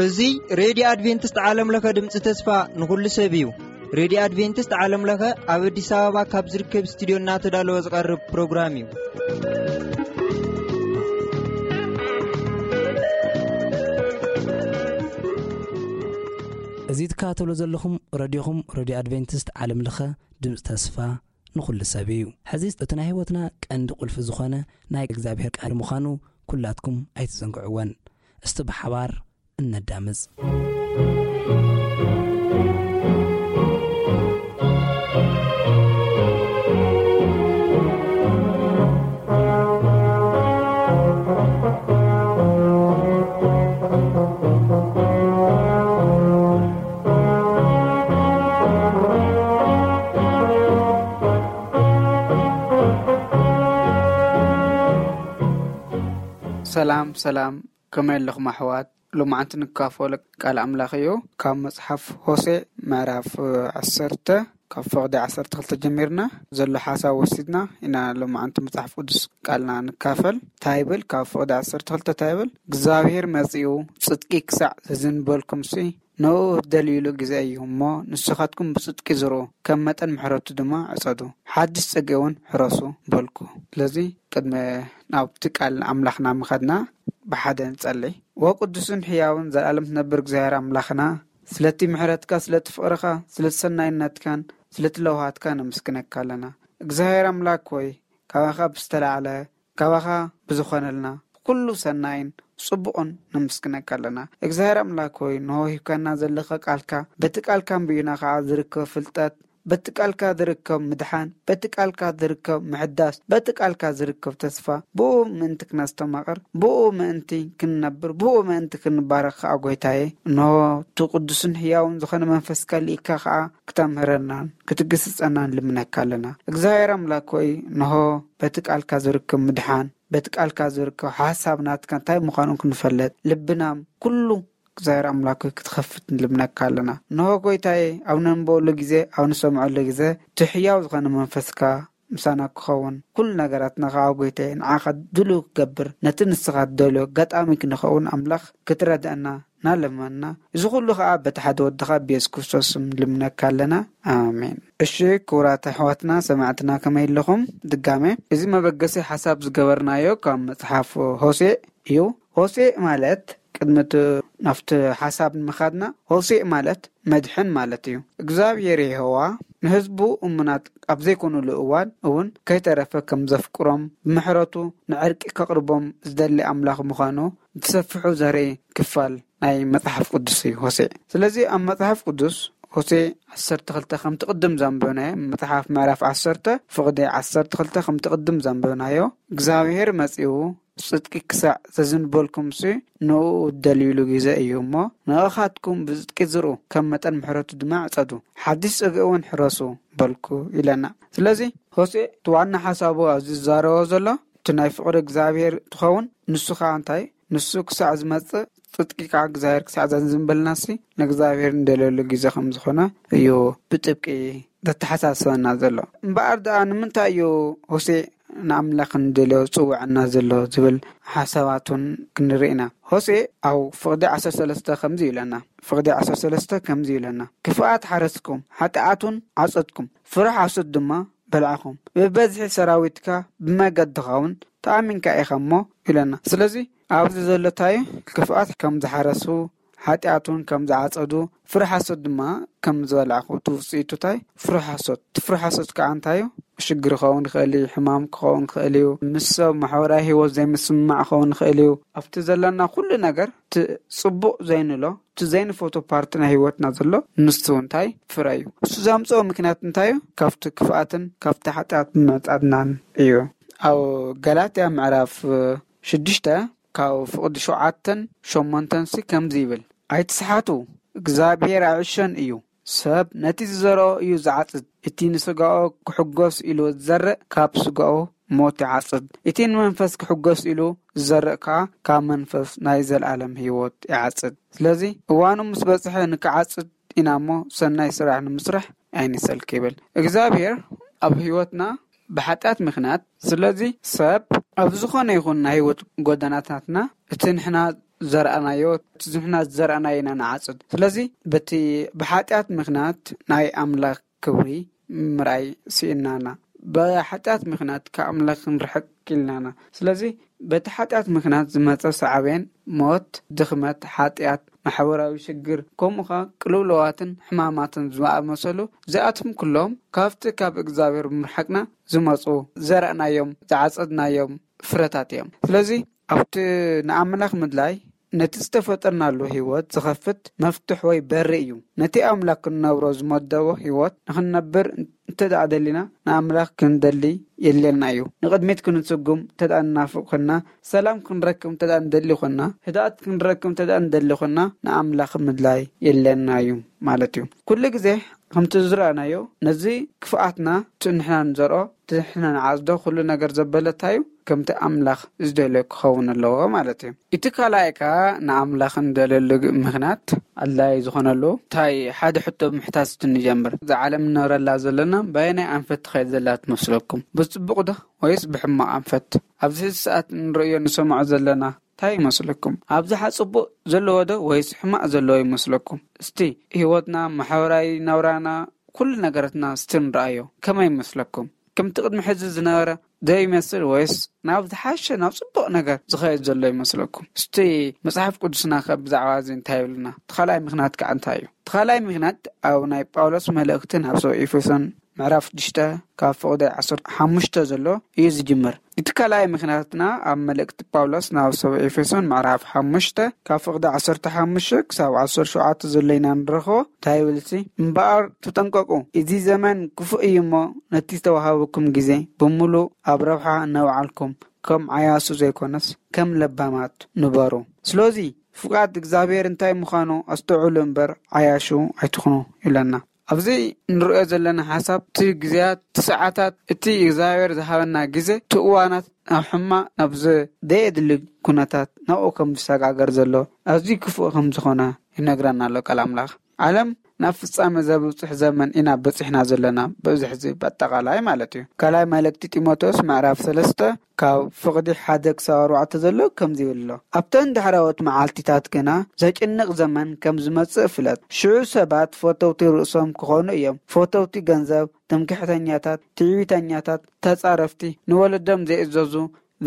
እዚ ሬድዮ ኣድቬንቲስት ዓለም ለኸ ድምፂ ተስፋ ንኹሉ ሰብ እዩ። ሬድዮ ኣድቬንቲስት ዓለም ለኸ ኣብ ኣዲስ ኣበባ ካብ ዝርከብ ስቱዲዮ እናተዳለወ ዝቐርብ ፕሮግራም እዩ። እዚ ትከታተሉ ዘለኹም ረድዮኹም፣ ረድዮ ኣድቬንቲስት ዓለም ለኸ ድምፂ ተስፋ ንኹሉ ሰብ እዩ። ሕዚ እቲ ናይ ህይወትና ቀንዲ ቁልፊ ዝኾነ ናይ እግዚኣብሔር ቃል ምዃኑ ኩላትኩም ኣይትዘንግዕወን። እስቲ ብሓባር እነዳምፅ። ሰላም ሰላም፣ ከመይ ኣለኹም ኣሕዋት? ሎማዓንቲ ንካፈሎ ቃል ኣምላኽ እዩ። ካብ መጽሓፍ ሆሴ ምዕራፍ ዓሰርተ፣ ካብ ፍቕዲ ዓሰርተ ክልተ ጀሚርና ዘሎ ሓሳብ ወሲድና ኢና ሎማዓንቲ መጽሓፍ ቅዱስ ቃልና ንካፈል። እንታይ ይብል? ካብ ፍቕዲ ዓሰርተ ክልተ እንታይ ይብል? እግዚኣብሔር መጺኡ ጽድቂ ክሳዕ ዘዝንበልኩምሲ ንኡ ደልዩሉ ግዜ እዩ እሞ፣ ንስኻትኩም ብጽድቂ ዝርኡ፣ ከም መጠን ምሕረቱ ድማ ዕጸዱ፣ ሓድሽ ጽጌ እውን ሕረሱ በልኩ። ስለዚ ቅድሚ ናብቲ ቃል ኣምላኽና ምኻድና ብሓደ ንጸሊ። ወቅዱስን ሕያውን ዘላለም ትነብር እግዚኣብሔር ኣምላኽና፣ ስለቲ ምሕረትካ፣ ስለቲ ፍቕርኻ፣ ስለቲ ሰናይነትካን ስለቲ ለውሃትካ ነመስግነካ ኣለና። እግዚኣብሔር ኣምላክ ሆይ፣ ካባኻ ብዝተላዕለ፣ ካባኻ ብዝኾነልና ኩሉ ሰናይን ጽቡቕን ነመስግነካ ኣለና። እግዚኣብሔር ኣምላክ ሆይ፣ ንሆ ሂብካና ዘለኻ ቃልካ፣ በቲ ቃልካ ኣንቢብና ኸዓ ዝርከብ ፍልጠት፣ በቲ ቃልካ ዝርከብ ምድሓን፣ በቲ ቃልካ ዝርከብ ምሕዳስ፣ በቲ ቃልካ ዝርከብ ተስፋ፣ ብኡ ምእንቲ ክነስተማቕር፣ ብኡ ምእንቲ ክንነብር፣ ብኡ ምእንቲ ክንባረኽ ኸዓ ጐይታዬ፣ እንሆ እቲ ቅዱስን ሕያውን ዝኾነ መንፈስካ ልኢካ ኸዓ ክተምህረናን ክትግስጸናን ልምነካ ኣለና። እግዚኣብሔር ኣምላክ ሆይ፣ እንሆ በቲ ቃልካ ዝርከብ ምድሓን፣ በቲ ቃልካ ዝርከብ ሓሳብ ናትካ እንታይ ምዃኑ ክንፈልጥ፣ ልብና ኩሉ እግዚኣብሔር ኣምላክ ሆይ ክትኸፍት ንልምነካ ኣለና። እንሆ ጐይታዬ፣ ኣብ ነንበበሉ ግዜ፣ ኣብ ንሰምዐሉ ግዜ፣ እቲ ሕያው ዝኾነ መንፈስካ ምሳና ክኸውን፣ ኩሉ ነገራትና ከዓ ጐይታዬ፣ ንዓኻ ድሉው ክገብር፣ ነቲ ንስኻ ትደልዮ ኣጋጣሚ ክንኸውን ኣምላኽ ክትረድአና ናለመና። እዚ ኩሉ ከዓ በቲ ሓደ ወድኻ ብየሱስ ክርስቶስ ስም ልምነካ ኣለና። ኣሜን። እሺ፣ ክቡራት ኣሕዋትና ሰማዕትና ከመይ ኣለኹም? ድጋሜ፣ እዚ መበገሲ ሓሳብ ዝገበርናዮ ካብ መጽሓፍ ሆሴዕ እዩ። ሆሴዕ ማለት፣ ቅድሚ እቲ ናብቲ ሓሳብ ንምኻድና፣ ሆሴዕ ማለት መድሕን ማለት እዩ። እግዚኣብሔር የሆዋ ንህዝቡ እሙናት ኣብ ዘይኮኑሉ እዋን እውን ከይተረፈ ከም ዘፍቅሮም፣ ብምሕረቱ ንዕርቂ ከቕርቦም ዝደሊ ኣምላኽ ምዃኑ ዝሰፍሑ ዘርኢ ክፋል ናይ መጽሓፍ ቅዱስ እዩ ሆሴዕ። ስለዚ ኣብ መጽሓፍ ቅዱስ ሆሴዕ ዓሰርተ ክልተ ከምቲ ቅድም ዘንበብናዮ፣ መጽሓፍ ምዕራፍ ዓሰርተ ፍቕዲ ዓሰርተ ክልተ ከምቲ ቅድም ዘንበብናዮ፣ እግዚኣብሔር መጺኡ ጽድቂ ክሳዕ ዘዝንበልኩምሲ ንእኡ እደልዩሉ ግዜ እዩ እሞ፣ ንኣኻትኩም ብጽድቂ ዝርኡ፣ ከም መጠን ምሕረቱ ድማ ዕጸዱ፣ ሓድሽ ጽግኢ እውን ሕረሱ በልኩ ኢለና። ስለዚ ሆሴዕ እቲ ዋና ሓሳቡ ኣብዚ ዝዛረቦ ዘሎ እቲ ናይ ፍቕሪ እግዚኣብሔር እንትኸውን፣ ንሱ ኸዓ እንታይ? ንሱ ክሳዕ ዝመጽእ፣ ጽድቂ ከዓ እግዚኣብሔር ክሳዕ ዘዝንበልናሲ ንእግዚኣብሔር እንደልየሉ ግዜ ከም ዝኾነ እዩ ብጥብቂ ዘተሓሳስበና ዘሎ። እምበኣር ደኣ ንምንታይ እዩ ሆሴዕ ንኣምላኽ እንደልዮ ዝጽውዐና ዘሎ ዝብል ሓሳባት እውን ክንርኢ ኢና። ሆሴዕ ኣብ ፍቕዲ ዓሰርተ ሰለስተ ከምዚ ይብለና፣ ፍቕዲ ዓሰርተ ሰለስተ ከምዚ ይብለና፣ "ክፍኣት ሓረስኩም፣ ሓጢኣት እውን ዓጸድኩም፣ ፍረ ሓሶት ድማ በላዕኹም፣ ብብዝሒ ሰራዊትካ ብመገድኻ እውን ተኣሚንካ ኢኻ እሞ" ይብለና። ስለዚ ኣብዚ ዘሎ እንታይ እዩ? ክፍኣት ከም ዝሓረሱ፣ ሓጢኣት እውን ከም ዝዓጸዱ፣ ፍረ ሓሶት ድማ ከም ዝበላዕኹ፣ እቲ ውጽኢቱ እንታይ? ፍረ ሓሶት። እቲ ፍረ ሓሶት ከዓ እንታይ እዩ? ሽግር ክኸውን ይኽእል እዩ፣ ሕማም ክኸውን ይኽእል እዩ፣ ምስ ሰብ ማሕበራዊ ህይወት ዘይምስምማዕ ክኸውን ይኽእል እዩ። ኣብቲ ዘለና ኩሉ ነገር፣ እቲ ጽቡቕ ዘይንሎ፣ እቲ ዘይንፈትዎ ፓርቲ ናይ ህይወትና ዘሎ፣ ንሱ እንታይ? ፍረ እዩ። እሱ ዘምጽኦ ምክንያት እንታይ እዩ? ካብቲ ክፍኣትን ካብቲ ሓጢኣት ብምዕጻድናን እዩ። ኣብ ገላትያ ምዕራፍ ሽዱሽተ ካብ ፍቕዲ ሸውዓተን ሸሞንተን ሲ ከምዚ ይብል፣ "ኣይትስሓቱ፣ እግዚኣብሔር ኣይዕሾን እዩ። ሰብ ነቲ ዝዘርኦ እዩ ዝዓጽድ። እቲ ንስጋኡ ክሕጎስ ኢሉ ዝዘርእ፣ ካብ ስጋኡ ሞት ይዓጽድ። እቲ ንመንፈስ ክሕጎስ ኢሉ ዝዘርእ ከኣ፣ ካብ መንፈስ ናይ ዘለኣለም ህይወት ይዓጽድ። ስለዚ እዋኑ ምስ በጽሐ ንክዓጽድ ኢና እሞ፣ ሰናይ ስራሕ ንምስራሕ ኣይንሰልክ" ይብል። እግዚኣብሔር ኣብ ህይወትና ብሓጢኣት ምኽንያት። ስለዚ ሰብ ኣብ ዝኾነ ይኹን ናይ ህይወት ጎደናታትና እቲ ንሕና ዘርኣናዮ፣ እቲ ንሕና ዘርኣናዮ ኢና ንዓጽድ። ስለዚ በቲ ብሓጢኣት ምኽንያት ናይ ኣምላኽ ክብሪ ምርኣይ ስኢናና። ብሓጢኣት ምኽንያት ካብ ኣምላኽ ክንርሕቅ ኢልናና። ስለዚ በቲ ሓጢኣት ምኽንያት ዝመጸ ሳዕቤን ሞት፣ ድኽመት፣ ሓጢኣት፣ ማሕበራዊ ሽግር፣ ከምኡ ኸኣ ቅልውለዋትን ሕማማትን ዝኣመሰሉ፣ እዚኣቶም ኩሎም ካብቲ ካብ እግዚኣብሔር ብምርሓቅና ዝመጹ ዘርኣናዮም፣ ዝዓጸድናዮም ፍረታት እዮም። ስለዚ ኣብቲ ንኣምላኽ ምድላይ ነቲ ዝተፈጠርናሉ ህይወት ዝኸፍት መፍትሕ ወይ በሪ እዩ። ነቲ ኣምላኽ ክንነብሮ ዝመደቦ ህይወት ንኽንነብር እንተ ደኣ ደሊና፣ ንኣምላኽ ክንደሊ የድልየና እዩ። ንቕድሚት ክንስጉም እንተ ደኣ ንናፍቕ ኮይንና፣ ሰላም ክንረክብ እንተ ደኣ ንደሊ ኮይንና፣ ህድኣት ክንረክብ እንተ ደኣ ንደሊ ኮይንና፣ ንኣምላኽ ምድላይ የድልየና እዩ ማለት እዩ። ኩሉ ግዜ ከምቲ ዝረኣናዮ፣ ነዚ ክፍኣትና፣ እቲ ንሕና ንዘርኦ፣ እቲ ንሕና ንዓጽዶ፣ ኩሉ ነገር ዘበለታዩ ከምቲ ኣምላኽ ዝደልዮ ክኸውን ኣለዎ ማለት እዩ። እቲ ካልኣይ ከኣ ንኣምላኽ ንደልየሉ ምኽንያት ኣድላዪ ዝኾነሉ እንታይ? ሓደ ሕቶ ብምሕታት እስቲ ንጀምር። እዛ ዓለም ንነብረላ ዘለና በየናይ ኣንፈት ትኸይድ ዘላ ትመስለኩም? ብጽቡቕ ዶ ወይስ ብሕማቕ ኣንፈት? ኣብዚ ሕዚ ሰዓት ንርእዮ ንሰምዖ ዘለና እንታይ ይመስለኩም? ኣብዝሓ ጽቡቕ ዘለዎ ዶ ወይስ ሕማቕ ዘለዎ ይመስለኩም? እስቲ ህይወትና፣ ማሕበራዊ ናብራና፣ ኩሉ ነገራትና እስቲ ንርኣዮ። ከመይ ይመስለኩም? ከምቲ ቅድሚ ሕዚ ዝነበረ ዶ ይመስል ወይስ ናብ ዝሓሸ፣ ናብ ጽቡቕ ነገር ዝኸይድ ዘሎ ይመስለኩም? እስቲ መጽሓፍ ቅዱስና ከ ብዛዕባ እዚ እንታይ ይብልና? እቲ ካልኣይ ምኽንያት ከኣ እንታይ እዩ? እቲ ካልኣይ ምኽንያት ኣብ ናይ ጳውሎስ መልእኽቲ ናብ ሰብ ኤፌሶን ምዕራፍ ሽዱሽተ ካብ ፍቕዲ ዓሰርተ ሓሙሽተ ዘሎ እዩ ዝጅምር። እቲ ካልኣይ ምኽንያትና ኣብ መልእኽቲ ጳውሎስ ናብ ሰብ ኤፌሶን ምዕራፍ ሓሙሽተ ካብ ፍቕዲ ዓሰርተ ሓሙሽተ ክሳብ ዓሰርተ ሸውዓተ ዘሎ ኢና ንረኽቦ። እንታይ ይብል? እምበኣር ተጠንቀቁ፣ እዚ ዘመን ክፉእ እዩ እሞ፣ ነቲ ዝተዋሃበኩም ግዜ ብምሉእ ኣብ ረብሓ እናውዓልኩም፣ ከም ዓያሱ ዘይኮነስ ከም ለባማት ንበሩ። ስለዚ ፍቓድ እግዚኣብሔር እንታይ ምዃኑ ኣስተውዕሉ እምበር፣ ዓያሹ ኣይትኹኑ ይብለና። ኣብዚ ንርእዮ ዘለና ሓሳብ፣ እቲ ግዜያት፣ እቲ ሰዓታት፣ እቲ እግዚኣብሔር ዝሃበና ግዜ፣ እቲ እዋናት ናብ ሕማቕ፣ ናብ ዘየድሊ ኩነታት ናብኡ ከም ዝሰጋገር ዘሎ፣ ኣዝዩ ክፉእ ከም ዝኾነ ይነግረና ኣሎ ቃል ኣምላኽ። ዓለም ናብ ፍጻመ ዘብጽሕ ዘመን ኢና በጺሕና ዘለና፣ ብብዝሒ እዚ በጠቓላይ ማለት እዩ። ካልኣይ መልእክቲ ጢሞቴዎስ ምዕራፍ ሰለስተ ካብ ፍቕዲ ሓደ ክሳብ ኣርባዕተ ዘሎ ከምዚ ይብል ኣሎ። ኣብተን ዳሕራዎት መዓልቲታት ግና ዘጭንቕ ዘመን ከም ዝመጽእ ፍለጥ። ሽዑ ሰባት ፈተውቲ ርእሶም ክኾኑ እዮም። ፈተውቲ ገንዘብ፣ ትምክሕተኛታት፣ ትዕቢተኛታት፣ ተጻረፍቲ፣ ንወለዶም ዘይእዘዙ፣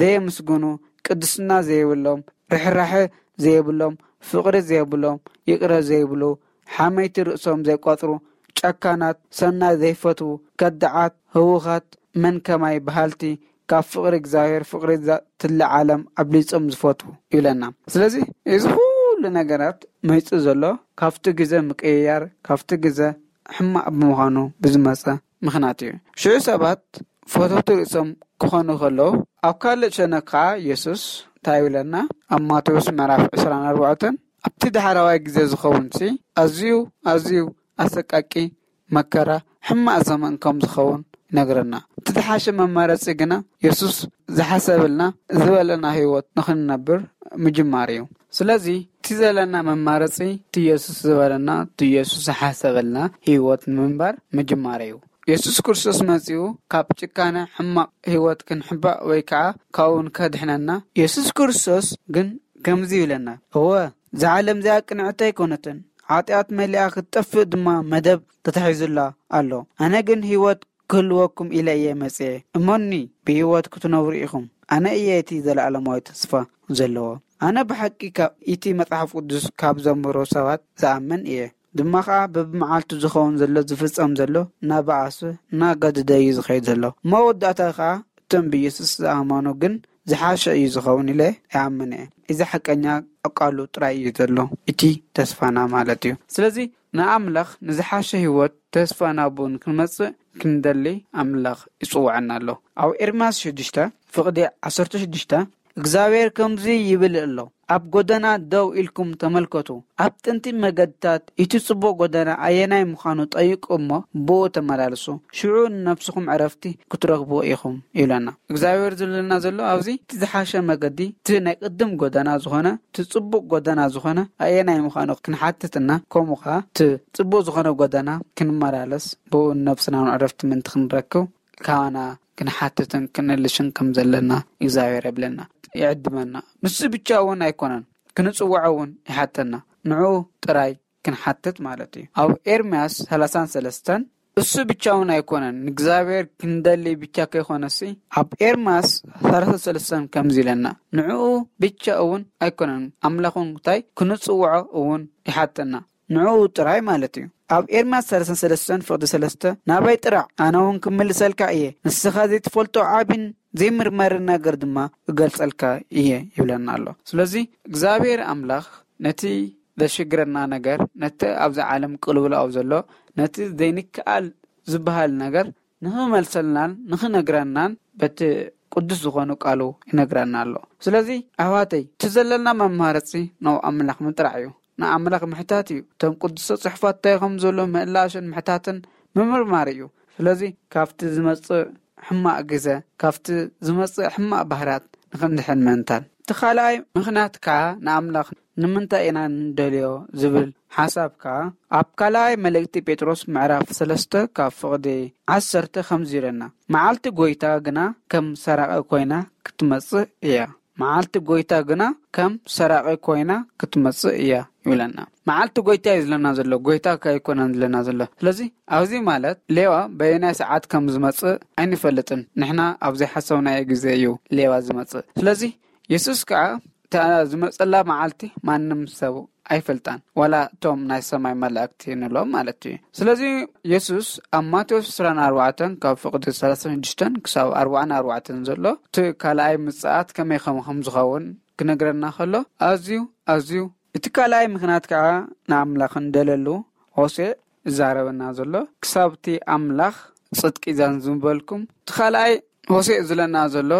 ዘየምስግኑ፣ ቅድስና ዘይብሎም፣ ርሕራሐ ዘይብሎም፣ ፍቕሪ ዘይብሎም፣ ይቕረ ዘይብሉ፣ ሓመይቲ ርእሶም ዘይቆጽሩ፣ ጨካናት፣ ሰናይ ዘይፈትዉ፣ ከዳዓት፣ ህዉኻት፣ መን ከማይ በሃልቲ፣ ካብ ፍቕሪ እግዚኣብሔር፣ ፍቕሪ እዛ ትላ ዓለም ኣብሊጾም ዝፈትዉ ይብለና። ስለዚ እዚ ኩሉ ነገራት መይጹ ዘሎ ካብቲ ግዜ ምቅይያር፣ ካብቲ ግዜ ሕማቕ ብምዃኑ ብዝመጸ ምኽንያት እዩ። ሽዑ ሰባት ፈተውቲ ርእሶም ክኾኑ ከለዉ፣ ኣብ ካልእ ሸነኽ ከኣ የሱስ እንታይ ይብለና? ኣብ ማቴዎስ ምዕራፍ ዕስራን ኣርባዕተን፣ ኣብቲ ዳሕራዋይ ግዜ ዝኸውንሲ ኣዝዩ፣ ኣዝዩ ኣሰቃቂ መከራ፣ ሕማቕ ዘመን ከም ዝኸውን ይነግረና። እቲ ዝሓሸ መመረጺ ግና የሱስ ዝሓሰበልና፣ ዝበለና ህይወት ንኽንነብር ምጅማር እዩ። ስለዚ እቲ ዘለና መማረጺ፣ እቲ የሱስ ዝበለና፣ እቲ የሱስ ዝሓሰበልና ህይወት ንምንባር ምጅማር እዩ። የሱስ ክርስቶስ መጺኡ ካብ ጭካነ ሕማቕ ህይወት ክንሕባእ ወይ ከኣ ካብኡ ንከድሕነና የሱስ ክርስቶስ ግን ከምዚ ይብለና፣ እወ፣ እዛ ዓለም እዚኣ ቅንዕቲ ኣይኮነትን፣ ሓጢኣት መሊኣ ክትጠፍእ ድማ መደብ ተታሒዙላ ኣሎ። ኣነ ግን ህይወት ክህልወኩም ኢለ እየ መጽኤ። እመኑኒ፣ ብህይወት ክትነብሩ ኢኹም። ኣነ እየ እቲ ዘለኣለማዊ ተስፋ ዘለዎ። ኣነ ብሓቂ ካብ እቲ መጽሓፍ ቅዱስ ካብ ዘንብሩ ሰባት ዝኣምን እየ። ድማ ኸኣ በብመዓልቱ ዝኸውን ዘሎ ዝፍጸም ዘሎ እናበኣሰ እናገደደ እዩ ዝኸይድ ዘሎ። መወዳእታ ኸኣ እቶም ብየሱስ ዝኣመኑ ግን ዝሓሸ እዩ ዝኸውን ኢለ እኣምን እየ። እዚ ሓቀኛ ቃሉ ጥራይ እዩ ዘሎ። እቲ ተስፋና ማለት እዩ። ስለዚ ንኣምላኽ ንዝሓሸ ህይወት ተስፋ ናብኡ ንክንመጽእ ክንደሊ ኣምላኽ ይጽውዐና ኣሎ። ኣብ ኤርምያስ ሽዱሽተ ፍቕዲ ዓሰርተ ሽዱሽተ እግዚኣብሔር ከምዚ ይብል ኣሎ፣ ኣብ ጎደና ደው ኢልኩም ተመልከቱ፣ ኣብ ጥንቲ መገድታት እቲ ጽቡቕ ጎደና ኣየናይ ምዃኑ ጠይቁ እሞ ብኡ ተመላለሱ፣ ሽዑ ንነፍስኹም ዕረፍቲ ክትረኽቡ ኢኹም ይብለና። እግዚኣብሔር ዝብለና ዘሎ ኣብዚ እቲ ዝሓሸ መገዲ፣ እቲ ናይ ቅድም ጎደና ዝኾነ፣ እቲ ጽቡቕ ጎደና ዝኾነ ኣየናይ ምዃኑ ክንሓትትና፣ ከምኡ ኸዓ እቲ ጽቡቕ ዝኾነ ጎደና ክንመላለስ፣ ብኡ ንነብስና ዕረፍቲ ምእንቲ ክንረክብ ካባና ክንሓትትን ክንእልሽን ከም ዘለና እግዚኣብሔር የብለና፣ ይዕድመና። ንሱ ብቻ እውን ኣይኮነን፣ ክንጽውዖ እውን ይሓተና። ንዕኡ ጥራይ ክንሓትት ማለት እዩ። ኣብ ኤርምያስ ሰላሳን ሰለስተን እሱ ብቻ እውን ኣይኮነን፣ ንእግዚኣብሔር ክንደሊ ብቻ ከይኮነሲ፣ ኣብ ኤርምያስ ሰላሳ ሰለስተን ከምዚ ኢለና፣ ንዕኡ ብቻ እውን ኣይኮነን፣ ኣምላኹን እንታይ ክንጽውዖ እውን ይሓተና። ንዕኡ ጥራይ ማለት እዩ። ኣብ ኤርምያስ ሰላሳን ሰለስተን ፍቕዲ ሰለስተ፣ ናባይ ጥራዕ፣ ኣነ እውን ክምልሰልካ እየ፣ ንስኻ ዘይትፈልጦ ዓቢን ዘይምርመርን ነገር ድማ እገልጸልካ እየ ይብለና ኣሎ። ስለዚ እግዚኣብሔር ኣምላኽ ነቲ ዘሽግረና ነገር፣ ነቲ ኣብዚ ዓለም ቅልውላው ዘሎ፣ ነቲ ዘይንከኣል ዝበሃል ነገር ንኽመልሰልናን ንኽነግረናን በቲ ቅዱስ ዝኾኑ ቃሉ ይነግረና ኣሎ። ስለዚ ኣሕዋተይ፣ እቲ ዘለና መማረፂ ናብ ኣምላኽ ምጥራዕ እዩ። ንኣምላኽ ምሕታት እዩ። እቶም ቅዱሳት ጽሑፋት እንታይ ከም ዘሎ ምእላሽን ምሕታትን ምምርማር እዩ። ስለዚ ካብቲ ዝመጽእ ሕማቕ ግዘ፣ ካብቲ ዝመጽእ ሕማቕ ባህርያት ንኽንድሕን ምእንታን። እቲ ካልኣይ ምኽንያት ከኣ ንኣምላኽ ንምንታይ ኢና ንደልዮ ዝብል ሓሳብ ከኣ ኣብ ካልኣይ መልእክቲ ጴጥሮስ ምዕራፍ ሰለስተ ካብ ፍቕዲ ዓሰርተ ከምዚ ኢለና፣ መዓልቲ ጐይታ ግና ከም ሰራቒ ኮይና ክትመጽእ እያ። መዓልቲ ጐይታ ግና ከም ሰራቒ ኮይና ክትመጽእ እያ ይብለና። መዓልቲ ጐይታ እዩ ዝለና ዘሎ፣ ጐይታ ከይኮነን ዝለና ዘሎ። ስለዚ ኣብዚ ማለት ሌዋ በየናይ ሰዓት ከም ዝመጽእ ኣይንፈልጥን። ንሕና ኣብ ዘይሓሰብናዮ ግዜ እዩ ሌዋ ዝመጽእ። ስለዚ የሱስ ከኣ እታ ዝመጸላ መዓልቲ ማንም ሰብ ኣይፈልጣን፣ ዋላ እቶም ናይ ሰማይ መላእክቲ ንብሎም ማለት እዩ። ስለዚ የሱስ ኣብ ማቴዎስ ዕስራን ኣርባዕተን ካብ ፍቕዲ ሰላሳን ሽዱሽተን ክሳብ ኣርባዓን ኣርባዕተን ዘሎ እቲ ካልኣይ ምጽኣት ከመይ ከም ከም ዝኸውን ክነግረና ከሎ፣ ኣዝዩ ኣዝዩ እቲ ካልኣይ ምኽንያት ከኣ ንኣምላኽ እንደለሉ ሆሴዕ ይዛረበና ዘሎ። ክሳብ እቲ ኣምላኽ ጽድቂ ዘንዝበልኩም፣ እቲ ካልኣይ ሆሴዕ ዝለና ዘሎ፣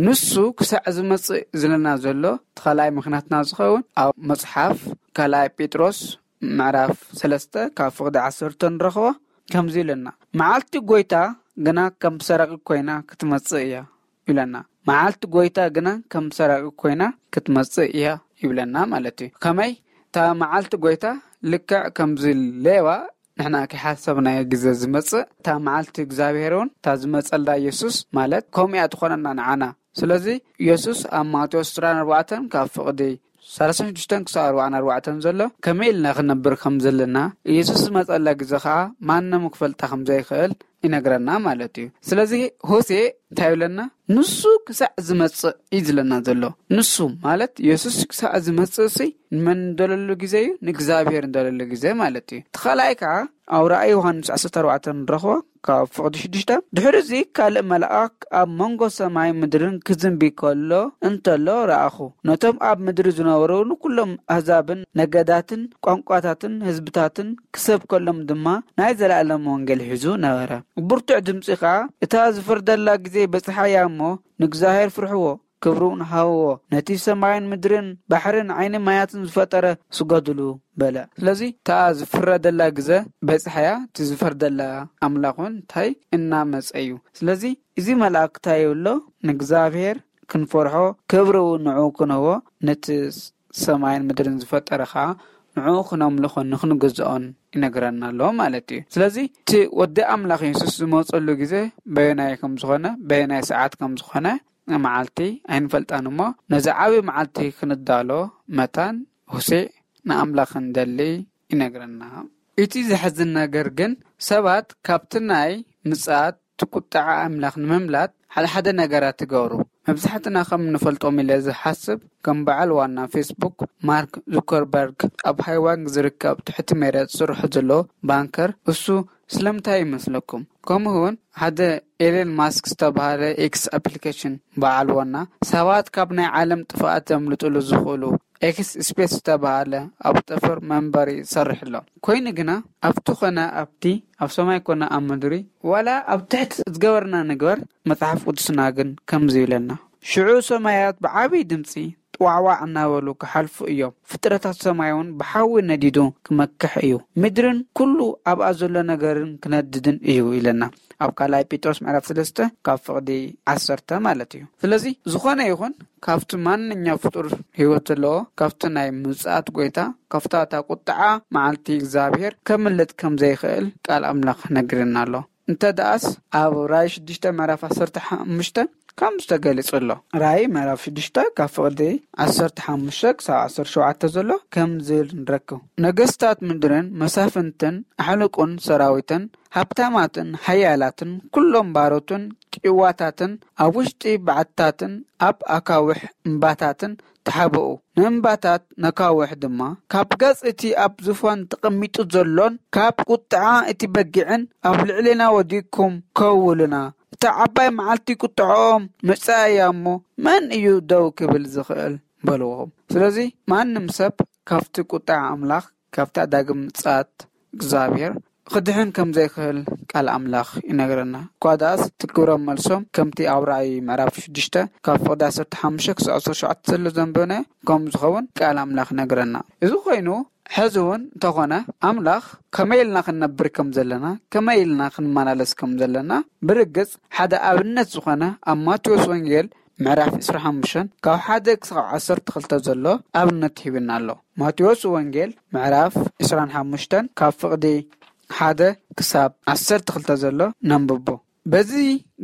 ንሱ ክሳዕ ዝመጽእ ዝለና ዘሎ፣ እቲ ካልኣይ ምኽንያትና ዝኸውን ኣብ መጽሓፍ ካልኣይ ጴጥሮስ ምዕራፍ ሰለስተ ካብ ፍቕዲ ዓሰርተ ንረኽቦ። ከምዚ ኢለና፣ መዓልቲ ጐይታ ግና ከም ሰራቂ ኮይና ክትመጽእ እያ ይብለና። መዓልቲ ጐይታ ግና ከም ሰራቂ ኮይና ክትመጽእ እያ ይብለና ማለት እዩ። ከመይ? እታ መዓልቲ ጐይታ ልክዕ ከምዚ ሌባ ንሕና ከይሓሰብናዮ ግዜ ዝመጽእ፣ እታ መዓልቲ እግዚኣብሔር እውን እታ ዝመጸላ ኢየሱስ ማለት ከምኡ እያ ትኾነና ንዓና። ስለዚ ኢየሱስ ኣብ ማቴዎስ ዕስራን ኣርባዕተን ካብ ፍቕዲ ሰላሳን ሽዱሽተን ክሳብ ኣርባዓን ኣርባዕተን ዘሎ ከመይ ኢልና ክንነብር ከም ዘለና፣ ኢየሱስ ዝመጸላ ግዜ ኸዓ ማንም ክፈልጣ ከም ዘይክእል ይነግረና ማለት እዩ። ስለዚ ሆሴዕ እንታይ ይብለና? ንሱ ክሳዕ ዝመጽእ እዩ ዝለና ዘሎ። ንሱ ማለት ኢየሱስ ክሳዕ ዝመጽእ ሲ ንመን እንደለሉ ግዜ እዩ? ንእግዚኣብሔር እንደለሉ ግዜ ማለት እዩ። እቲ ካልኣይ ከዓ ኣብ ራእይ ዮሃንስ ዓሰርተ ኣርባዕተ ንረኽቦ ካብ ፍቕዲ ሽዱሽተ፣ ድሕሪ እዚ ካልእ መልኣክ ኣብ መንጎ ሰማይ ምድርን ክዝንቢ ከሎ እንተሎ ረኣኹ። ነቶም ኣብ ምድሪ ዝነበሩ ንኩሎም ኣህዛብን ነገዳትን ቋንቋታትን ህዝብታትን ክሰብከሎም ድማ ናይ ዘለኣለም ወንጌል ሒዙ ነበረ። ብርቱዕ ድምጺ ከኣ፣ "እታ ዝፍርደላ ግዜ በጽሓያ እሞ ንእግዚኣብሔር ፍርሕዎ፣ ክብሪ እውን ሃብዎ። ነቲ ሰማይን ምድርን ባሕርን ዓይኒ ማያትን ዝፈጠረ ስገድሉ" በለ። ስለዚ እታ ዝፍረደላ ግዜ በጽሓያ፣ እቲ ዝፈርደላ ኣምላኽ እውን እንታይ እናመጸ እዩ። ስለዚ እዚ መልኣክ እንታይ ይብሎ? ንእግዚኣብሔር ክንፈርሖ፣ ክብሪ እውን ንዕኡ ክንህቦ፣ ነቲ ሰማይን ምድርን ዝፈጠረ ኸዓ ንዕኡ ክነምልኾን ንክንግዝኦን ይነግረና ኣሎ ማለት እዩ። ስለዚ እቲ ወዲ ኣምላኽ የሱስ ዝመፀሉ ግዜ በየናይ ከም ዝኾነ፣ በየናይ ሰዓት ከም ዝኾነ መዓልቲ ኣይንፈልጣን እሞ፣ ነዚ ዓብዪ መዓልቲ ክንዳሎ መታን ሆሴዕ ንኣምላኽ እንደሊ ይነግረና። እቲ ዘሕዝን ነገር ግን ሰባት ካብቲ ናይ ምጽኣት እቲ ቁጥዓ ኣምላኽ ንምምላጥ ሓደ ሓደ ነገራት ትገብሩ። መብዛሕትና ከም ንፈልጦም ኢለ ዝሓስብ፣ ከም በዓል ዋና ፌስቡክ ማርክ ዙከርበርግ ኣብ ሃይዋንግ ዝርከብ ትሕቲ መሬት ዝሰርሖ ዘሎ ባንከር እሱ ስለምንታይ ይመስለኩም? ከምኡ እውን ሓደ ኤለን ማስክ ዝተባህለ ኤክስ ኣፕሊኬሽን በዓል ዋና ሰባት ካብ ናይ ዓለም ጥፍኣት ዘምልጥሉ ዝኽእሉ ኤክስ ስፔስ ዝተባህለ ኣብ ጠፈር መንበሪ ይሰርሕ ኣሎ። ኮይኑ ግና ኣብቲ ኮነ ኣብቲ፣ ኣብ ሰማይ ኮነ ኣብ ምድሪ፣ ዋላ ኣብ ትሕቲ ዝገበርና ንግበር፣ መጽሓፍ ቅዱስና ግን ከምዚ ይብለና፣ "ሽዑ ሰማያት ብዓብዪ ድምጺ ጥዋዕዋዕ እናበሉ ክሓልፉ እዮም፣ ፍጥረታት ሰማይ እውን ብሓዊ ነዲዱ ክመክሕ እዩ፣ ምድርን ኩሉ ኣብኣ ዘሎ ነገርን ክነድድን እዩ" ይብለና ኣብ ካልኣይ ጴጥሮስ ምዕራፍ ሰለስተ ካብ ፍቕዲ ዓሰርተ ማለት እዩ። ስለዚ ዝኾነ ይኹን ካብቲ ማንኛው ፍጡር ህይወት ዘለዎ፣ ካብቲ ናይ ምጽኣት ጎይታ፣ ካብታ እታ ቁጥዓ መዓልቲ እግዚኣብሔር ከምልጥ ከም ዘይኽእል ቃል ኣምላኽ ነግርና ኣሎ። እንተ ደኣስ ኣብ ራእይ ሽዱሽተ ምዕራፍ ዓሰርተ ሓሙሽተ ከምዚ ተገሊጹ ኣሎ። ራእይ ምዕራፍ ሽዱሽተ ካብ ፍቕዲ ዓሰርተ ሓሙሽተ ክሳብ ዓሰርተ ሸውዓተ ዘሎ ከምዚ ንረክብ። ነገስታት ምድርን መሳፍንትን ኣሕሉቁን ሰራዊትን ሃብታማትን ሓያላትን ኩሎም ባሮትን ጭዋታትን ኣብ ውሽጢ በዓትታትን ኣብ ኣካውሕ እምባታትን ተሓብኡ። ንእምባታት ነካውሕ ድማ ካብ ገጽ እቲ ኣብ ዙፋን ተቐሚጡ ዘሎን ካብ ቁጥዓ እቲ በጊዕን ኣብ ልዕሌና ወዲቅኩም ከውሉና፣ እታ ዓባይ መዓልቲ ቁጥዓኦም መጻእያ እሞ መን እዩ ደው ክብል ዝኽእል? በልዎም። ስለዚ ማንም ሰብ ካብቲ ቁጥዓ ኣምላኽ፣ ካብታ ዳግም ምጽኣት እግዚኣብሔር ክድሕን ከም ዘይክእል ቃል ኣምላኽ ይነግረና። እኳ ደኣስ እቲ ግብረ መልሶም ከምቲ ኣብ ራእይ ምዕራፍ ሽዱሽተ ካብ ፍቕዲ ዓሰርተ ሓሙሽተ ክሳብ ዓሰርተ ሸውዓተ ዘሎ ዘንበነ ከም ዝኸውን ቃል ኣምላኽ ይነግረና። እዚ ኮይኑ ሕዚ እውን እንተኾነ ኣምላኽ ከመይ ኢልና ክንነብር ከም ዘለና፣ ከመይ ኢልና ክንመላለስ ከም ዘለና ብርግጽ ሓደ ኣብነት ዝኾነ ኣብ ማቴዎስ ወንጌል ምዕራፍ ዕስራን ሓሙሽተን ካብ ሓደ ክሳብ ዓሰርተ ክልተ ዘሎ ኣብነት ሂብና ኣሎ። ማቴዎስ ወንጌል ምዕራፍ ዕስራን ሓሙሽተን ካብ ፍቕዲ ሓደ ክሳብ ዓሰርተ ክልተ ዘሎ ነንብቦ። በዚ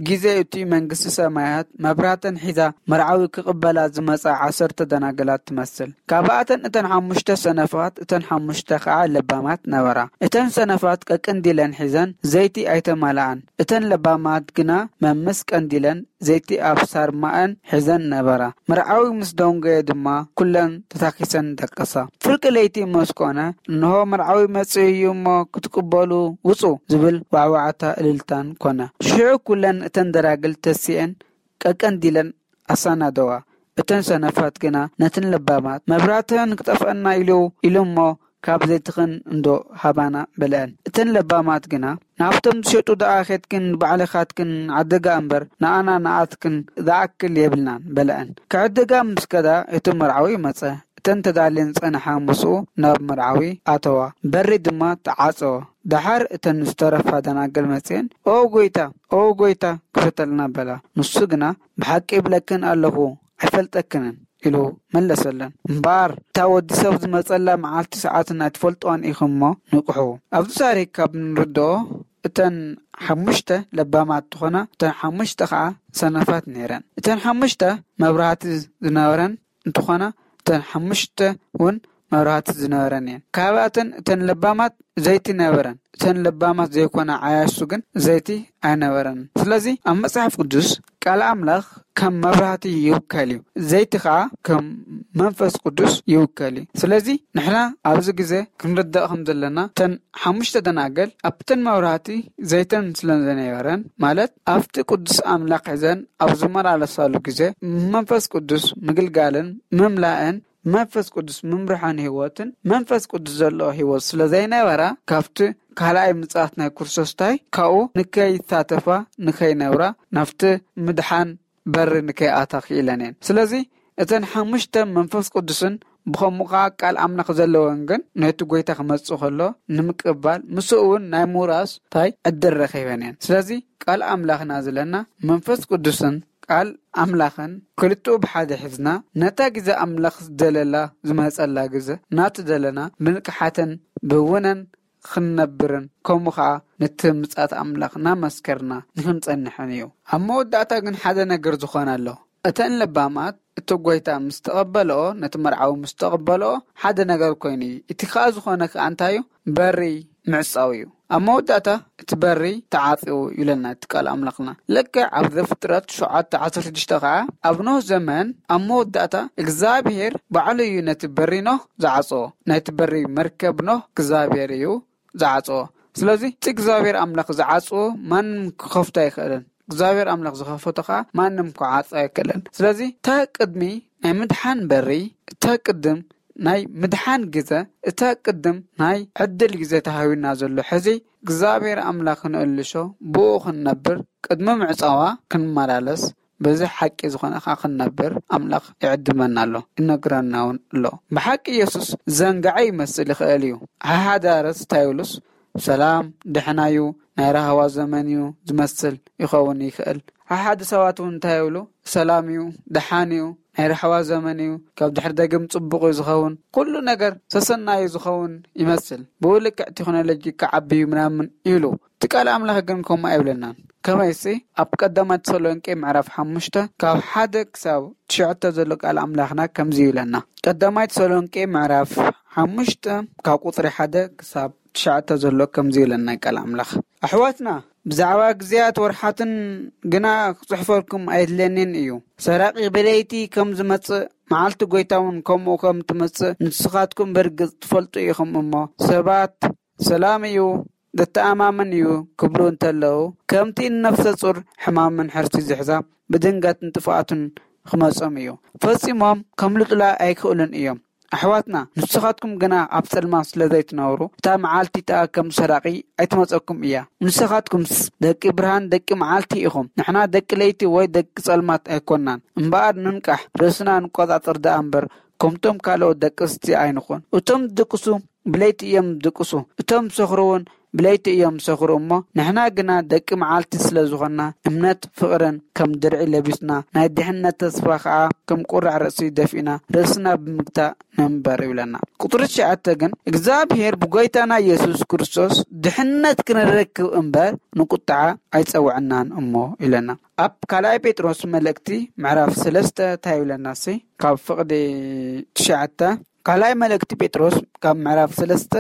ግዜ እቲ መንግስቲ ሰማያት መብራህተን ሒዛ መርዓዊ ክቕበላ ዝመጻ ዓሰርተ ደናግላት ትመስል። ካብኣተን እተን ሓሙሽተ ሰነፋት፣ እተን ሓሙሽተ ኸዓ ለባማት ነበራ። እተን ሰነፋት ቀቅንዲለን ሒዘን ዘይቲ ኣይተማልኣን። እተን ለባማት ግና መምስ ቀንዲለን ዘይቲ ኣብ ሳርማኣን ሒዘን ነበራ። መርዓዊ ምስ ደንጎየ ድማ ኩለን ተታኪሰን ደቀሳ። ፍርቂ ለይቲ ምስ ኮነ፣ እንሆ መርዓዊ መጺኡ እዩ እሞ ክትቅበሉ ውጹ ዝብል ዋዕዋዕታ እልልታን ኮነ። ሽዑ ኩለን እተን ደናግል ተሲኤን ቀቀንዲለን ኣሳናደዋ። እተን ሰነፋት ግና ነተን ለባማት መብራህትኽን ክጠፍአና ኢሉ ኢሉ እሞ ካብ ዘይትኽን እንዶ ሃባና በልዐን። እተን ለባማት ግና ናብቶም ዝሸጡ ደኣ ኬድክን ንባዕልኻትክን ዓድጋ እምበር ንኣና ንኣትክን ዝኣክል የብልናን በልዐን። ክዕድጋ ምስ ከዳ እቲ መርዓዊ መጸ። እተን ተዳልየን ዝጸንሓ ምስኡ ናብ መርዓዊ ኣተዋ። በሪ ድማ ተዓጸወ። ደሓር እተን ዝተረፋ ደናግል መጺኤን ኦ ጐይታ፣ ኦ ጐይታ ክፈተልና በላ። ንሱ ግና ብሓቂ እብለክን ኣለኹ ኣይፈልጠክንን ኢሉ መለሰለን። እምበኣር እታ ወዲ ሰብ ዝመጸላ መዓልቲ ሰዓትን ኣይትፈልጥዋን ኢኹም እሞ ንቕሑ። ኣብዚ ታሪክ ካብ ንርድኦ እተን ሓሙሽተ ለባማት እንትኾና እተን ሓሙሽተ ኸዓ ሰነፋት ነይረን። እተን ሓሙሽተ መብራህቲ ዝነበረን እንትኾና እተን ሓሙሽተ እውን መብራህቲ ዝነበረን እየን። ካብኣተን እተን ለባማት ዘይቲ ነበረን። እተን ለባማት ዘይኮና ዓያሱ ግን ዘይቲ ኣይነበረን። ስለዚ ኣብ መጽሓፍ ቅዱስ ቃል ኣምላኽ ከም መብራህቲ ይውከል እዩ፣ ዘይቲ ኸዓ ከም መንፈስ ቅዱስ ይውከል እዩ። ስለዚ ንሕና ኣብዚ ግዜ ክንርዳእ ከም ዘለና እተን ሓሙሽተ ደናገል ኣብተን መብራህቲ ዘይተን ስለ ዘነበረን ማለት ኣብቲ ቅዱስ ኣምላኽ ሒዘን ኣብ ዝመላለሳሉ ግዜ መንፈስ ቅዱስ ምግልጋልን ምምላእን መንፈስ ቅዱስ ምምርሓን ህይወትን መንፈስ ቅዱስ ዘለዎ ህይወት ስለ ዘይነበራ ካብቲ ካልኣይ ምጽኣት ናይ ክርስቶስታይ ካብኡ ንከይሳተፋ ንከይነብራ ናብቲ ምድሓን በሪ ንከይኣታ ክኢለን እየን። ስለዚ እተን ሓሙሽተ መንፈስ ቅዱስን ብኸምኡ ኸዓ ቃል ኣምላኽ ዘለወን ግን ነቲ ጐይታ ክመጽእ ከሎ ንምቅባል ምስኡ እውን ናይ ምውራስ ታይ ዕድል ረኺበን እየን። ስለዚ ቃል ኣምላኽና ዝለና መንፈስ ቅዱስን ቃል ኣምላኽን ክልጥኡ ብሓደ ሒዝና ነታ ግዜ ኣምላኽ ዝደለላ ዝመጸላ ግዜ ናቲ ዘለና ብንቅሓትን ብውነን ክንነብርን ከምኡ ኸዓ ነቲ ምጽኣት ኣምላኽ እናመስከርና ንክንጸንሕን እዩ። ኣብ መወዳእታ ግን ሓደ ነገር ዝኾነ ኣሎ። እተን ለባማት እቲ ጐይታ ምስ ተቐበልኦ፣ ነቲ መርዓዊ ምስ ተቐበልኦ ሓደ ነገር ኮይኑ እዩ። እቲ ኸዓ ዝኾነ ከኣ እንታይ እዩ? በሪ ምዕጻው እዩ። ኣብ መወዳእታ እቲ በሪ ተዓጽዩ ይብለና እቲ ቃል ኣምላኽና። ልክዕ ኣብ ዘፍጥረት ሸውዓተ ዓሰርተ ሽዱሽተ ኸዓ ኣብ ኖህ ዘመን ኣብ መወዳእታ እግዚኣብሔር ባዕሉ እዩ ነቲ በሪ ኖህ ዝዓጽዎ። ናይቲ በሪ መርከብ ኖህ እግዚኣብሔር እዩ ዝዓጽዎ። ስለዚ እቲ እግዚኣብሔር ኣምላኽ ዝዓጽዎ ማንም ክኸፍቶ ኣይኽእልን። እግዚኣብሔር ኣምላኽ ዝኸፈቶ ኸዓ ማንም ክዓጾ ኣይክእልን። ስለዚ እታ ቅድሚ ናይ ምድሓን በሪ፣ እታ ቅድም ናይ ምድሓን ግዘ፣ እታ ቅድም ናይ ዕድል ግዘ ተሃዊና ዘሎ ሕዚ እግዚኣብሔር ኣምላኽ ንእልሾ ብኡ ክንነብር ቅድሚ ምዕጻዋ ክንመላለስ በዚ ሓቂ ዝኾነ ኸዓ ክንነብር ኣምላኽ ይዕድመና ኣሎ፣ ይነግረና እውን ኣሎ። ብሓቂ ኢየሱስ ዘንግዐ ይመስል ይኽእል እዩ። ሓሓደ ኣረስ እንታይ ይብሉስ ሰላም ድሕና እዩ፣ ናይ ራህዋ ዘመን እዩ ዝመስል ይኸውን ይኽእል። ሓሓደ ሰባት እውን እንታይ ይብሉ ሰላም እዩ፣ ደሓን እዩ፣ ናይ ራህዋ ዘመን እዩ፣ ካብ ድሕሪ ደጊም ጽቡቕ እዩ ዝኸውን፣ ኩሉ ነገር ሰሰናዩ ዝኸውን ይመስል። ብኡ ልክዕ ቴክኖሎጂ ክዓቢ እዩ ምናምን ይብሉ። እቲ ቃል ኣምላኽ ግን ከምኡ ኣይብለናን። ከመይሲ ኣብ ቀዳማይ ተሰሎንቄ ምዕራፍ ሓሙሽተ ካብ ሓደ ክሳብ ትሽዓተ ዘሎ ቃል ኣምላኽና ከምዚ ይብለና። ቀዳማይ ተሰሎንቄ ምዕራፍ ሓሙሽተ ካብ ቁጽሪ ሓደ ክሳብ ትሽዓተ ዘሎ ከምዚ ይብለና ቃል ኣምላኽ። ኣሕዋትና፣ ብዛዕባ ግዜያት ወርሓትን ግና ክጽሕፈልኩም ኣይድለንን እዩ። ሰራቂ ብለይቲ ከም ዝመጽእ፣ መዓልቲ ጎይታ እውን ከምኡ ከም ትመጽእ ንስኻትኩም ብርግጽ ትፈልጡ ኢኹም እሞ፣ ሰባት፣ "ሰላም እዩ፣ ዘተኣማምን እዩ" ክብሉ እንተለዉ፣ ከምቲ ንነፍሰ ጹር ሕማምን ሕርሲ ዝሕዛ ብድንገትን ጥፍኣትን ክመጾም እዩ። ፈጺሞም ከምልጡላ ኣይክእሉን እዮም። ኣሕዋትና፣ ንስኻትኩም ግና ኣብ ጸልማት ስለ ዘይትነብሩ፣ እታ መዓልቲ እቲኣ ከም ሰራቒ ኣይትመጸኩም እያ። ንስኻትኩምስ ደቂ ብርሃን፣ ደቂ መዓልቲ ኢኹም። ንሕና ደቂ ለይቲ ወይ ደቂ ጸልማት ኣይኮናን። እምበኣር ንንቃሕ፣ ርእስና ንቆጻጸር ደኣ እምበር፣ ከምቶም ካልኦት ደቅስቲ ኣይንኹን። እቶም ዝድቅሱ ብለይቲ እዮም ዝድቅሱ፣ እቶም ዝሰኽሩ እውን ብለይቲ እዮም ዝሰኽሩ እሞ፣ ንሕና ግና ደቂ መዓልቲ ስለ ዝኾንና፣ እምነት ፍቕርን ከም ድርዒ ለቢስና፣ ናይ ድሕነት ተስፋ ኸዓ ከም ቁራዕ ርእሲ ደፊእና፣ ርእስና ብምግታእ ንንበር ይብለና። ቁጽሪ ትሽዓተ ግን፣ እግዚኣብሔር ብጎይታና ኢየሱስ ክርስቶስ ድሕነት ክንረክብ እምበር ንቁጥዓ ኣይጸውዐናን እሞ ይብለና። ኣብ ካልኣይ ጴጥሮስ መልእክቲ ምዕራፍ ሰለስተ እንታይ ይብለና ሲ? ካብ ፍቕዲ ትሽዓተ፣ ካልኣይ መልእክቲ ጴጥሮስ ካብ ምዕራፍ ሰለስተ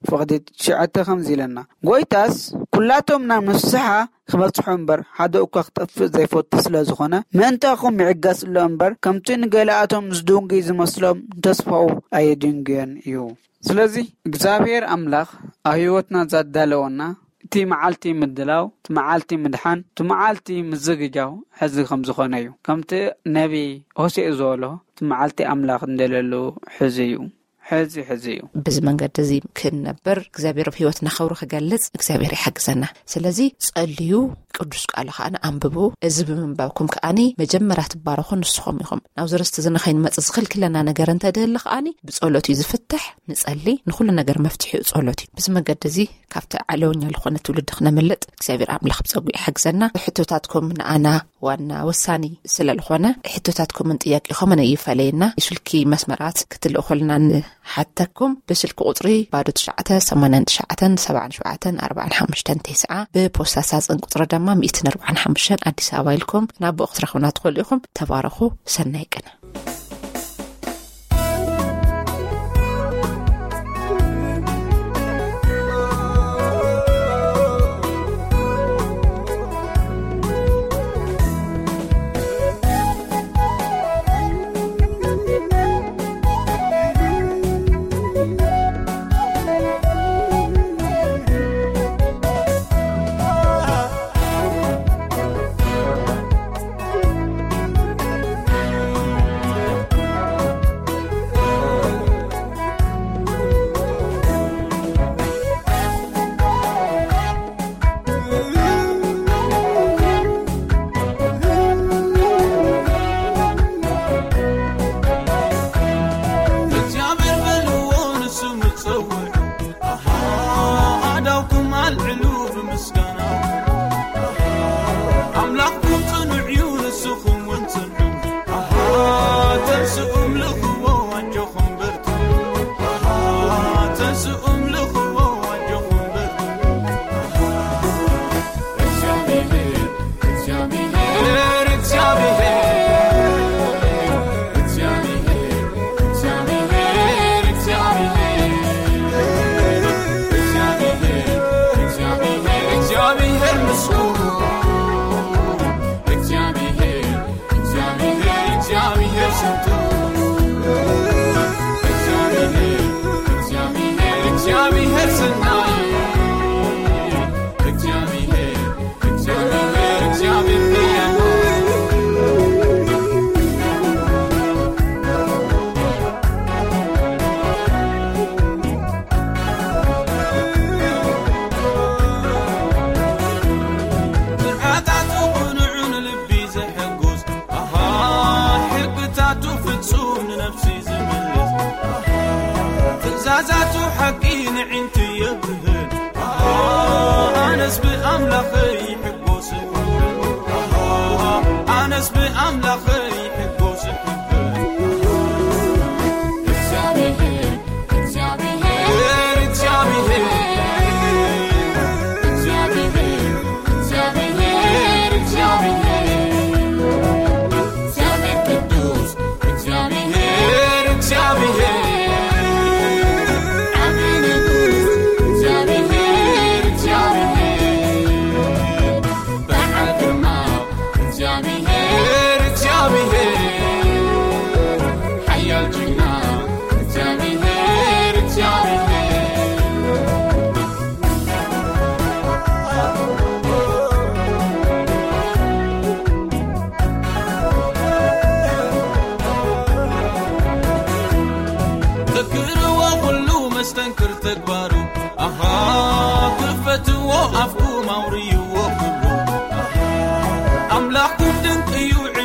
ፍቕዲ ትሽዓተ ከምዚ ኢለና፣ "ጎይታስ ኩላቶም ናብ ንስሓ ክበጽሑ እምበር፣ ሓደ እኳ ክጠፍእ ዘይፈቱ ስለ ዝኾነ፣ ምእንታኹም ይዕገስ ኣሎ እምበር፣ ከምቲ ንገሊኣቶም ዝድንጉይ ዝመስሎም፣ ንተስፋኡ ኣየድንጉዮን እዩ።" ስለዚ እግዚኣብሔር ኣምላኽ ኣብ ህይወትና ዘዳለወና እቲ መዓልቲ ምድላው፣ እቲ መዓልቲ ምድሓን፣ እቲ መዓልቲ ምዝግጃው ሕዚ ከም ዝኾነ እዩ። ከምቲ ነቢ ሆሴዕ ዝበሎ፣ እቲ መዓልቲ ኣምላኽ እንደለሉ ሕዚ እዩ። ሕዚ፣ ሕዚ እዩ። በዚ መንገዲ እዚ ክንነብር እግዚኣብሔር ኣብ ህይወትና ክብሩ ክገልጽ እግዚኣብሔር ይሓግዘና። ስለዚ ጸልዩ፣ ቅዱስ ቃሉ ከኣ ኣንብቡ። እዚ ብምንባብኩም ከኣኒ መጀመርያ ትባረኹ ንስኹም ኢኹም። ናብ ዝርስቲ እዚ ንኸይንመጽእ ዝኽልክለና ነገር እንተድህሊ ከኣኒ ብጸሎት እዩ ዝፍትሕ። ንጸሊ፣ ንኹሉ ነገር መፍትሒኡ ጸሎት እዩ። በዚ መንገዲ እዚ ካብቲ ዓለወኛ ዝኾነ ትውልዲ ክነምልጥ እግዚኣብሔር ኣምላኽ ብጸጉ ይሓግዘና። ሕቶታትኩም ንኣና ዋና ወሳኒ ስለ ዝኾነ፣ ሕቶታትኩምን ጥያቄኹምን ኣይፈለየና። የስልኪ መስመራት ክትልእኹልና ንሓተኩም። ብስልኪ ቁጽሪ ባዶ ትሽዓተ ሰማንያን ትሽዓተን ሰብዓን ሸውዓተን ኣርባዓን ሓሙሽተን ተስዓ፣ ብፖስታ ሳጽን ቁጽሪ ድማ ሚእትን ኣርባዓን ሓሙሽተን ኣዲስ ኣበባ ኢልኩም ናብኡ ክትረኽቡና ትኽእሉ ኢኹም። ተባረኹ። ሰናይ ቅነ።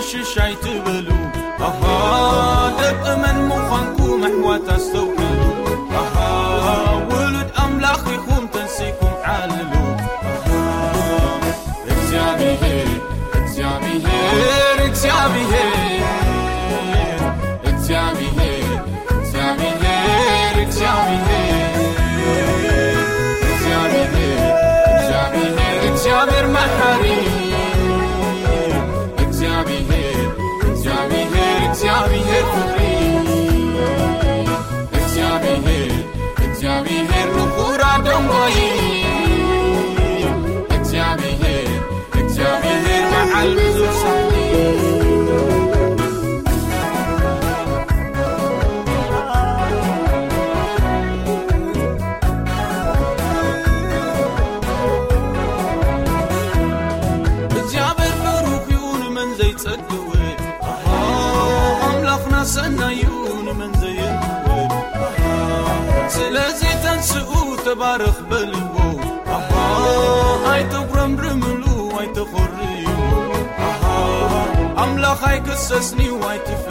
ሽሻይ ትበሉ ኣሃ ደቂ መን ምዃንኩም ኣሕዋት ኣስተውዕሉ ኣሃ ውሉድ ኣምላኽ ኢኹም ተንሲኩም ዓልሉ ኣሃ እግዚኣብሔር እግዚኣብሔር እግዚኣብሔር እግዚኣብሔር እግዚኣብሔር እግዚኣብሔር እግዚኣብሔር እግዚኣብሔር መሓሪ እግዚኣብሔር እግዚኣብሔር እግዚኣብሔር ፍቕሪ እግዚኣብሔር እግዚኣብሔር ንኹራ ደንጎይ እግዚኣብሔር እግዚኣብሔር መዓል ብዙሕ ሳሕቲ እግዚኣብሔር ብሩኽ እዩ ንመን ዘይጸግብ ኣምላኽና ሰናዩ ንመን ዘየንክወ ስለዚ ተንስኡ ተባረኽ በልዎ ኣባ ኣይተጉረምርምሉ ኣይተኾርዩ ኣባ ኣምላኽ ኣይክሰስኒ ኣይትፈ